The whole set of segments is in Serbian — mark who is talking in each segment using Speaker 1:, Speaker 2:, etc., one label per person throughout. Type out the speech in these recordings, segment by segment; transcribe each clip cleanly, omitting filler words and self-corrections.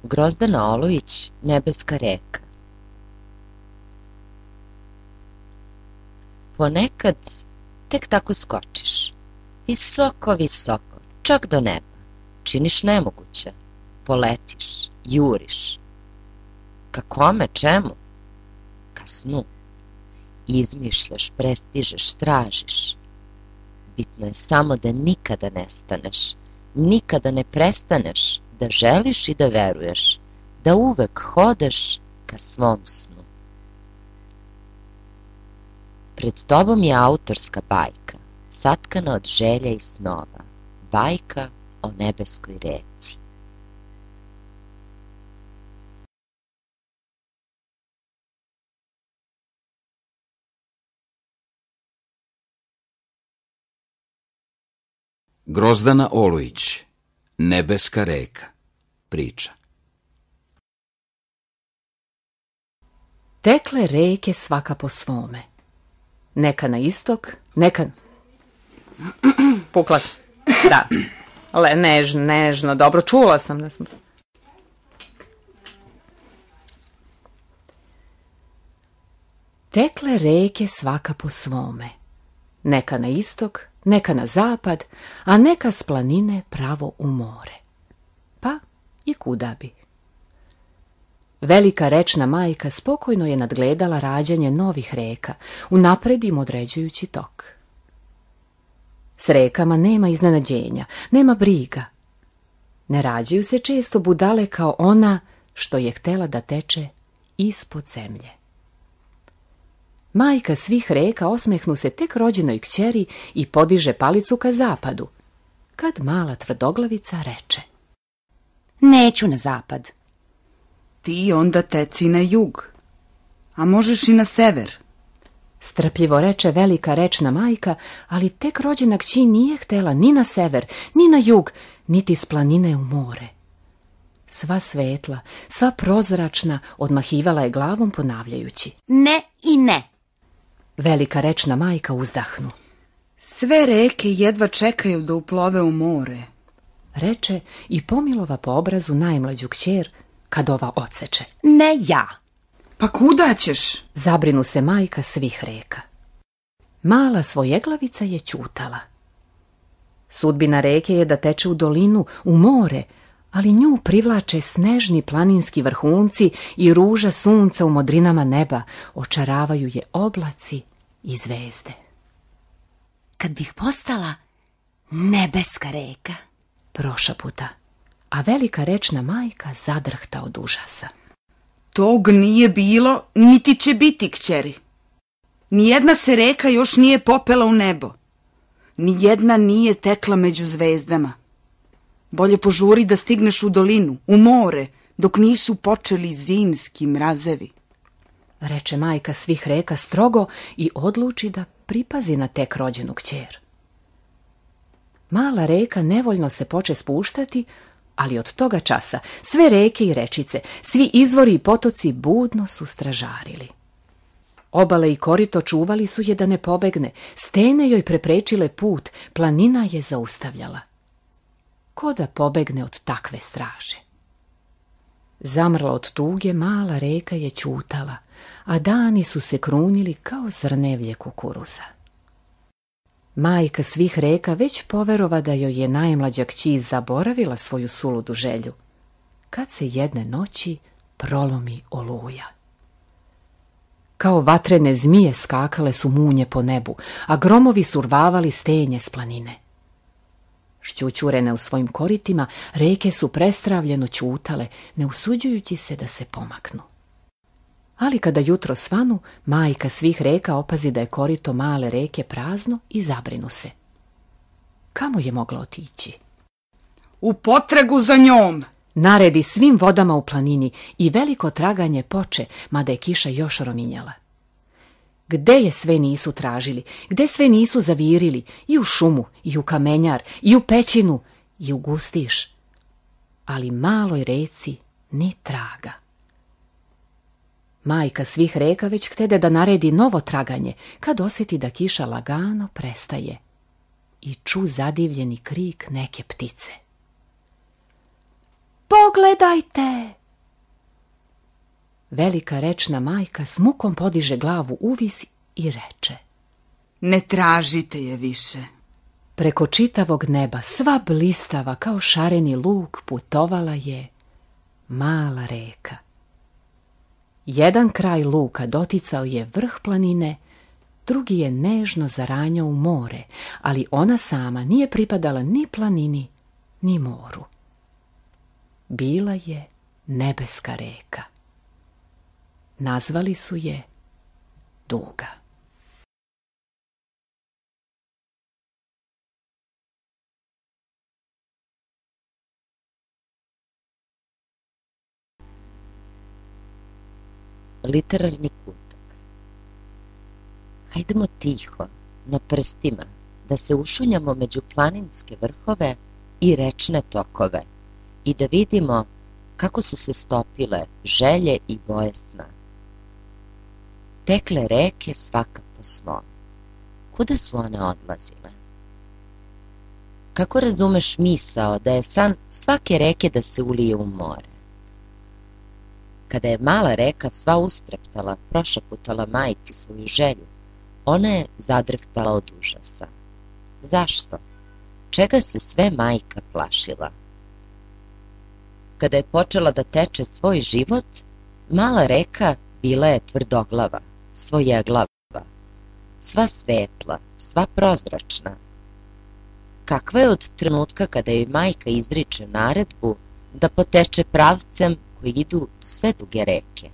Speaker 1: Grozdana Olović, Nebeska reka. Ponekad tek tako skočiš, visoko, visoko, čak do neba, činiš nemoguće, poletiš, juriš. Ka kome, čemu? Ka snu. Izmišljaš, prestižeš, tražiš. Bitno je samo da nikada nestaneš, nikada ne prestaneš da želiš i da veruješ, da uvek hodaš ka svom snu. Pred tobom je autorska bajka, satkana od želja i snova, bajka o nebeskoj reci.
Speaker 2: Grozdana Olović, Nebeska reka, priča.
Speaker 3: Tekle reke svaka po svome. Neka na istok, neka... Pukla sam. Da. Nežno, dobro, čula sam da smo... Tekle reke svaka po svome. Neka na istok, neka na zapad, a neka s planine pravo u more. Pa i kuda bi. Velika rečna majka spokojno je nadgledala rađanje novih reka, unapred im određujući tok. S rekama nema iznenađenja, nema briga. Ne rađaju se često budale kao ona što je htela da teče ispod zemlje. Majka svih reka osmehnu se tek rođenoj kćeri i podiže palicu ka zapadu, kad mala tvrdoglavica reče:
Speaker 4: Neću na zapad.
Speaker 5: Ti onda teci na jug, a možeš i na sever.
Speaker 3: Strpljivo reče velika rečna majka, ali tek rođena kći nije htela ni na sever, ni na jug, niti s planine u more. Sva svetla, sva prozračna, odmahivala je glavom ponavljajući:
Speaker 4: Ne i ne.
Speaker 3: Velika rečna majka uzdahnu.
Speaker 5: Sve reke jedva čekaju da uplove u more,
Speaker 3: reče i pomilova po obrazu najmlađu kćer, kad ova odseče.
Speaker 4: Ne ja.
Speaker 5: Pa kuda ćeš?
Speaker 3: Zabrinu se majka svih reka. Mala svojeglavica je ćutala. Sudbina reke je da teče u dolinu, u more, ali nju privlače snežni planinski vrhunci i ruža sunca u modrinama neba, očaravaju je oblaci i zvezde.
Speaker 4: Kad bih postala nebeska reka,
Speaker 3: prošaputa, a velika rečna majka zadrhta od užasa.
Speaker 5: Tog nije bilo, niti će biti, kćeri. Nijedna se reka još nije popela u nebo. Nijedna nije tekla među zvezdama. Bolje požuri da stigneš u dolinu, u more, dok nisu počeli zimski mrazevi.
Speaker 3: Reče majka svih reka strogo i odluči da pripazi na tek rođenu kćer. Mala reka nevoljno se poče spuštati, ali od toga časa sve reke i rečice, svi izvori i potoci budno su stražarili. Obale i korito čuvali su je da ne pobegne, stene joj preprečile put, planina je zaustavljala. Ko da pobegne od takve straže? Zamrla od tuge, mala reka je ćutala, a dani su se krunili kao zrnevlje kukuruza. Majka svih reka već poverova da joj je najmlađa kći zaboravila svoju suludu želju, kad se jedne noći prolomi oluja. Kao vatrene zmije skakale su munje po nebu, a gromovi survavali stenje s planine. Šćućurene u svojim koritima, reke su prestravljeno ćutale, ne usuđujući se da se pomaknu. Ali kada jutro svanu, majka svih reka opazi da je korito male reke prazno i zabrinu se. Kamo je mogla otići?
Speaker 5: U potragu za njom!
Speaker 3: Naredi svim vodama u planini i veliko traganje poče, mada je kiša još rominjala. Gde je sve nisu tražili, gde sve nisu zavirili, i u šumu, i u kamenjar, i u pećinu, i u gustiš. Ali maloj reci ni traga. Majka svih reka već htede da naredi novo traganje, kad osjeti da kiša lagano prestaje i ču zadivljeni krik neke ptice. Pogledajte! Velika rečna majka s mukom podiže glavu uvis i reče:
Speaker 5: Ne tražite je više.
Speaker 3: Preko čitavog neba, sva blistava kao šareni luk, putovala je mala reka. Jedan kraj luka doticao je vrh planine, drugi je nežno zaranjao u more, ali ona sama nije pripadala ni planini, ni moru. Bila je nebeska reka. Nazvali su je Duga.
Speaker 1: Literarni kutak. Hajdemo tiho, na prstima, da se ušunjamo među planinske vrhove i rečne tokove i da vidimo kako su se stopile želje i boje sna. Tekle reke svaka po svom. Kuda su one odlazile? Kako razumeš misao da je san svake reke da se ulije u more? Kada je mala reka sva ustreptala, prošaputala majci svoju želju, ona je zadrhtala od užasa. Zašto? Čega se sve majka plašila? Kada je počela da teče svoj život, mala reka bila je tvrdoglava, svojeglava, sva svetla, sva prozračna. Kakva je od trenutka kada joj majka izriče naredbu da poteče pravcem koji idu sve duge reke?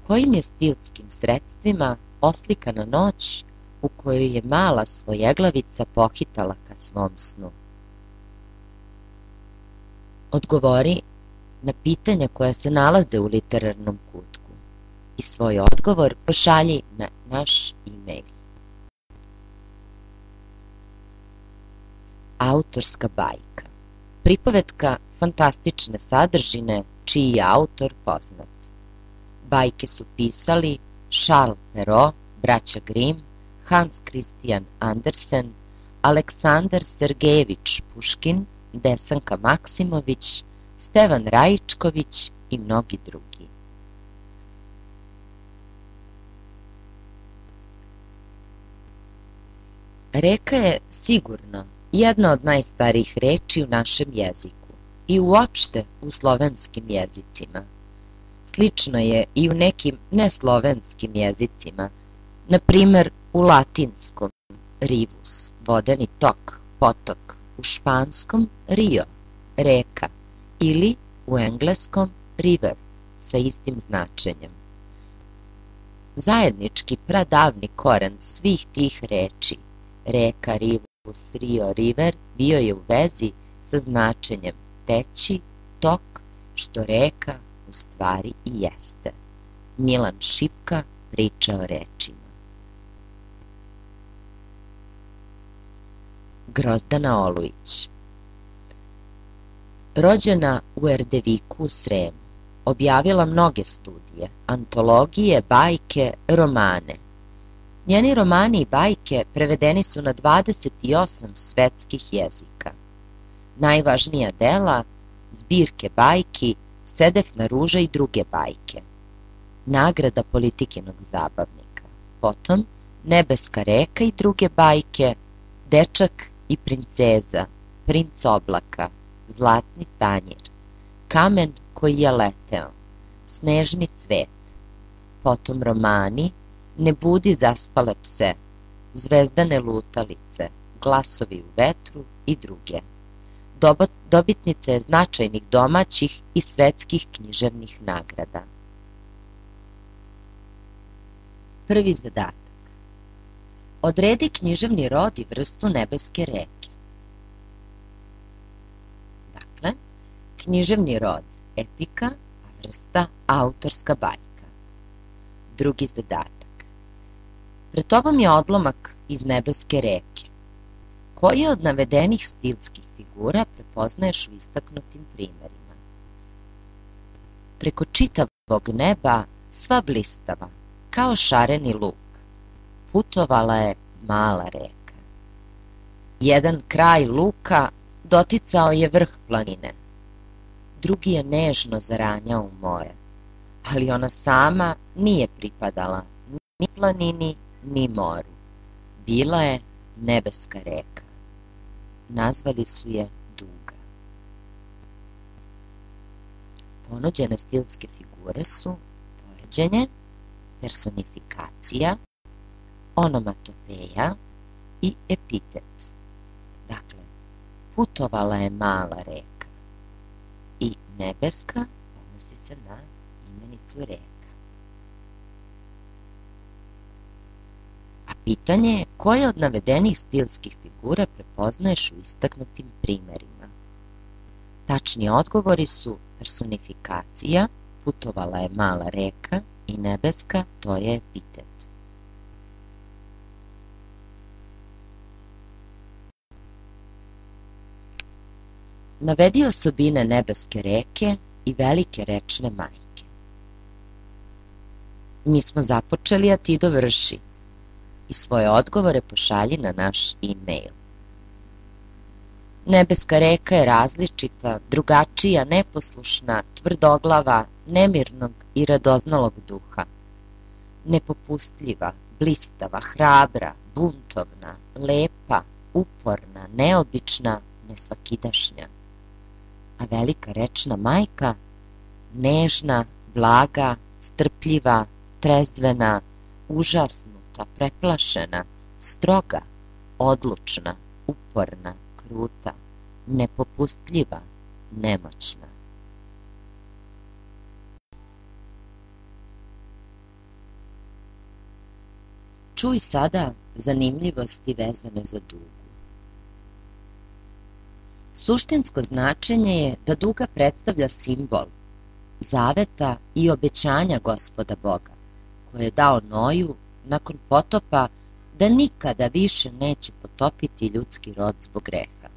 Speaker 1: Kojim je stilskim sredstvima oslikana noć u kojoj je mala svojeglavica pohitala ka svom snu? Odgovori na pitanja koja se nalaze u literarnom kutku i svoj odgovor pošalji na naš e-mail. Autorska bajka. Pripovetka fantastične sadržine čiji je autor poznat. Bajke su pisali Charles Perrault, braća Grimm, Hans Christian Andersen, Aleksandar Sergejević Puškin, Desanka Maksimović, Stevan Rajičković i mnogi drugi. Reka je sigurno jedna od najstarijih reči u našem jeziku i uopšte u slovenskim jezicima. Slično je i u nekim neslovenskim jezicima, na primer u latinskom rivus, vodeni tok, potok, u španskom rio, reka, ili u engleskom river sa istim značenjem. Zajednički pradavni koren svih tih reči, reka, rivus, rio, river, bio je u vezi sa značenjem teći, tok, što reka u stvari i jeste. Milan Šipka priča o rečima. Grozdana Olujić. Rođena u Erdeviku u Sremu, objavila mnoge studije, antologije, bajke, romane. Njeni romani i bajke prevedeni su na 28 svetskih jezika. Najvažnija dela, zbirke bajki, Sedefna ruža i druge bajke. Nagrada Politikinog zabavnika. Potom Nebeska reka i druge bajke, Dečak i princeza, Princ oblaka, Zlatni tanjir, Kamen koji je leteo, Snežni cvet. Potom romani Ne budi zaspale pse, Zvezdane lutalice, Glasovi u vetru i druge. Dobitnica je značajnih domaćih i svetskih književnih nagrada. Prvi zadatak. Odredi književni rod i vrstu nebeske reke. Dakle, književni rod epika, a vrsta autorska bajka. Drugi zadatak. Pred tobom je odlomak iz nebeske reke. Koje od navedenih stilskih figura prepoznaješ u istaknutim primerima? Preko čitavog neba, sva blistava, kao šareni luk, putovala je mala reka. Jedan kraj luka doticao je vrh planine, drugi je nežno zaranjao u more, ali ona sama nije pripadala ni planini, ni moru. Bila je nebeska reka. Nazvali su je Duga. Ponuđene stilske figure su poređenje, personifikacija, onomatopeja i epitet. Dakle, putovala je mala reka i nebeska odnosi se na imenicu reka. A pitanje je koje od navedenih stilskih figura prepoznaješ u istaknutim primerima. Tačni odgovori su personifikacija, putovala je mala reka i nebeska, to je epitet. Navedi osobine nebeske reke i velike rečne majke. Mi smo započeli, a ti dovrši. I svoje odgovore pošalji na naš e-mail. Nebeska reka je različita, drugačija, neposlušna, tvrdoglava, nemirnog i radoznalog duha. Nepopustljiva, blistava, hrabra, buntovna, lepa, uporna, neobična, nesvakidašnja. A velika rečna majka, nežna, blaga, strpljiva, trezvena, užasnuta, preplašena, stroga, odlučna, uporna, kruta, nepopustljiva, nemoćna. Čuj sada zanimljivosti vezane za Dugu. Suštinsko značenje je da Duga predstavlja simbol zaveta i obećanja Gospoda Boga, koje je dao Noju nakon potopa da nikada više neće potopiti ljudski rod zbog greha.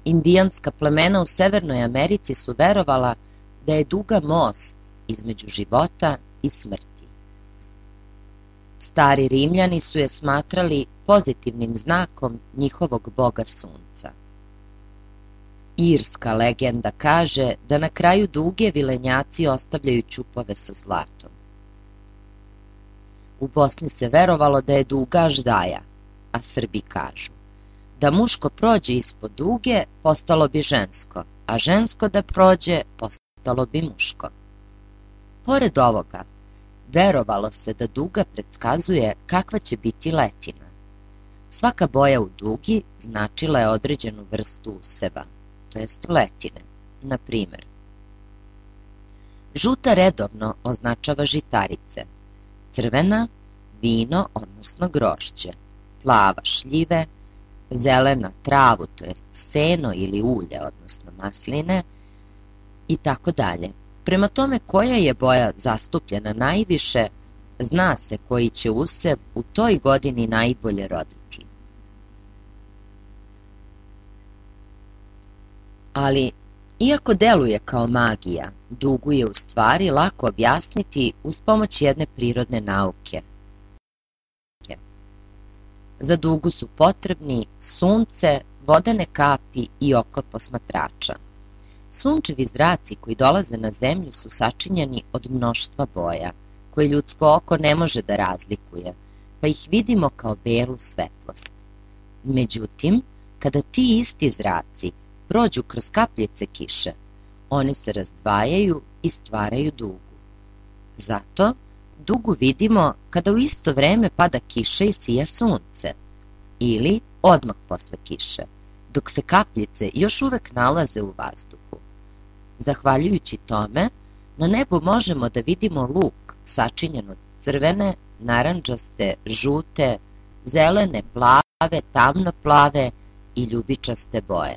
Speaker 1: Indijanska plemena u Severnoj Americi su verovala da je Duga most između života i smrti. Stari Rimljani su je smatrali pozitivnim znakom njihovog boga sunca. Irska legenda kaže da na kraju Duge vilenjaci ostavljaju ćupove sa zlatom. U Bosni se verovalo da je Duga aždaja, a Srbi kažu da muško prođe ispod Duge postalo bi žensko, a žensko da prođe postalo bi muško. Pored ovoga, verovalo se da Duga predskazuje kakva će biti letina. Svaka boja u Dugi značila je određenu vrstu useva, to jest letine. Na primjer, žuta redovno označava žitarice, crvena vino, odnosno grožđe, plava šljive, zelena travu, to jest seno ili ulje, odnosno masline i tako dalje. Prema tome koja je boja zastupljena najviše, zna se koji će usev u toj godini najbolje roditi. Ali, iako deluje kao magija, Dugu je u stvari lako objasniti uz pomoć jedne prirodne nauke. Za Dugu su potrebni sunce, vodene kapi i oko posmatrača. Sunčevi zraci koji dolaze na zemlju su sačinjeni od mnoštva boja, koje ljudsko oko ne može da razlikuje, pa ih vidimo kao belu svetlost. Međutim, kada ti isti zraci prođu kroz kapljice kiše, oni se razdvajaju i stvaraju Dugu. Zato Dugu vidimo kada u isto vreme pada kiša i sija sunce, ili odmah posle kiše, dok se kapljice još uvek nalaze u vazduhu. Zahvaljujući tome, na nebu možemo da vidimo luk sačinjen od crvene, narandžaste, žute, zelene, plave, tamnoplave i ljubičaste boje.